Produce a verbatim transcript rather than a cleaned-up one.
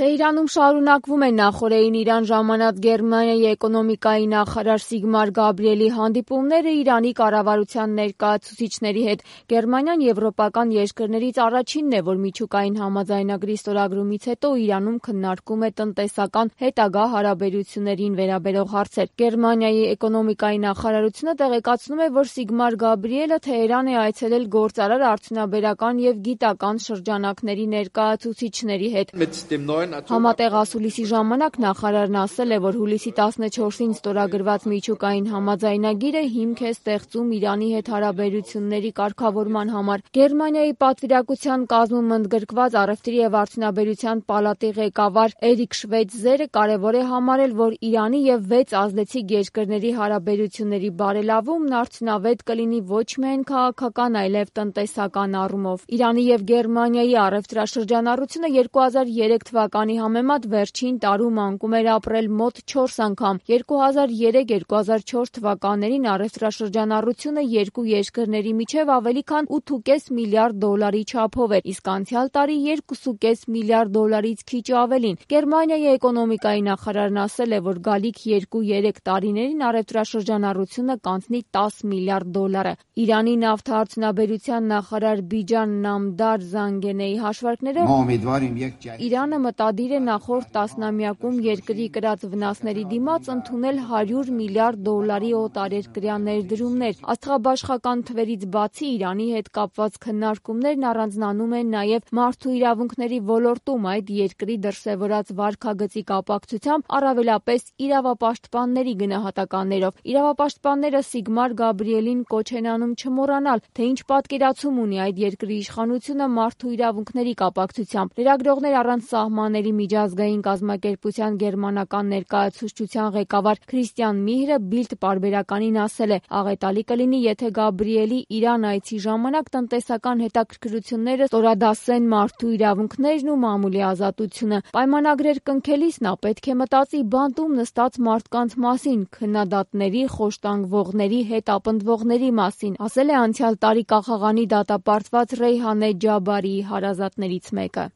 Թեհրանում շարունակվում է նախօրեին Իրան ժամանած Գերմանիայի էկոնոմիկայի նախարար Սիգմար Գաբրիելի հանդիպումները Իրանի կառավարության ներկայացուցիչների հետ։ Գերմանիան եվրոպական երկրներից առաջինն է, որ միջուկային համաձայնագրի ստորագրումից հետո Իրանում քննարկում է տնտեսական հետագա հարաբերություններին վերաբերող հարցեր։ Գերմանիայի էկոնոմիկայի նախարարությունը տեղեկացնում է, որ Սիգմար Գաբրիելը Թեհրան է այցելել գործարար, արդյունաբերական և գիտական շրջանակների ներկայացուցիչների հետ։ Համատեղ ասուլիսի ժամանակ նախարարն ասել է, որ հուլիսի տասնչորսին ստորագրված միջուկային համաձայնագիրը հիմք է ստեղծում Իրանի հետ հարաբերությունների կարգավորման համար։ Գերմանիայի պատվիրակության կազմում ընդգրկված առևտրի և արդյունաբերության պալատի ղեկավար Էրիկ Շվեյցերը կարևոր է համարել, որ Իրանի և վեց ազդեցիկ երկրների հարաբերությունների բարելավումն արդյունավետ կլինի ոչ միայն քաղաքական, այլև տնտեսական առումով։ Իրանի և Գերմանիայի առևտրաշրջանառությունը երկու հազար երեք թվականի համեմատ վերջին տարում անկում էր ապրել մոտ չորս անգամ։ երկու հազար երեք - երկու հազար չորս թվականներին առևտրաշրջանառությունը երկու երկրների միջև ավելի քան ութ.պինգ միլիարդ դոլարի չափով էր, իսկ անցյալ տարի երկուսուկես միլիարդ դոլարից քիչ ավելին։ Գերմանիայի էկոնոմիկայի նախարարն ասել է, որ գալիք երկու-երեք տարիներին առևտրաշրջանառությունը կանցնի տաս միլիարդ դոլարը։ Իրանի նավթարդյունաբերության նախարար Բիջան Նամդար Զանգենեի հաշվարկներով Իրանը մտադիր է նախորդ տասնամյակում երկրի կրած վնասների դիմաց ընդունել հարյուր միլիարդ դոլարի օտարերկրյա ներդրումներ։ Աստղաբաշխական թվերից բացի Իրանի հետ կապված քննարկումներն առանձնանում են նաև մարդու իրավունքների ոլորտում այդ երկրի դրսևորած վարքագծի կապակցությամբ, առավելապես իրավապաշտպանների գնահատականներով։ Իրավապաշտպանները Սիգմար Գաբրիելին կոչ են անում չմոռանալ, թե ինչ պատկերացում ունի այդ երկրի իշխանությունը մարդու իրավունքների կապակցությամբ։ Լրագրողներ առանց սահմանների միջազգային կազմակերպության գերմանական ներկայացուցչության ղեկավար Քրիստիան Միհրը Բիլդ պարբերականին ասել է. «Աղետալի կլինի, եթե Գաբրիելի Իրան այցի ժամանակ տնտեսական հետաքրքրությունները ստորադասեն մարդու իրավունքներն ու մամուլի ազատությունը։ Պայմանագրեր կնքելիս նա պետք է մտածի բանտում նստած մարդկանց մասին, քննադատների, խոշտանգվողների, հետապնդվողների մասին», ասել է անցյալ տարի Կախաղանի դատապարտված Ռեյհանե Ջաբարիի հարազատներից մեկը։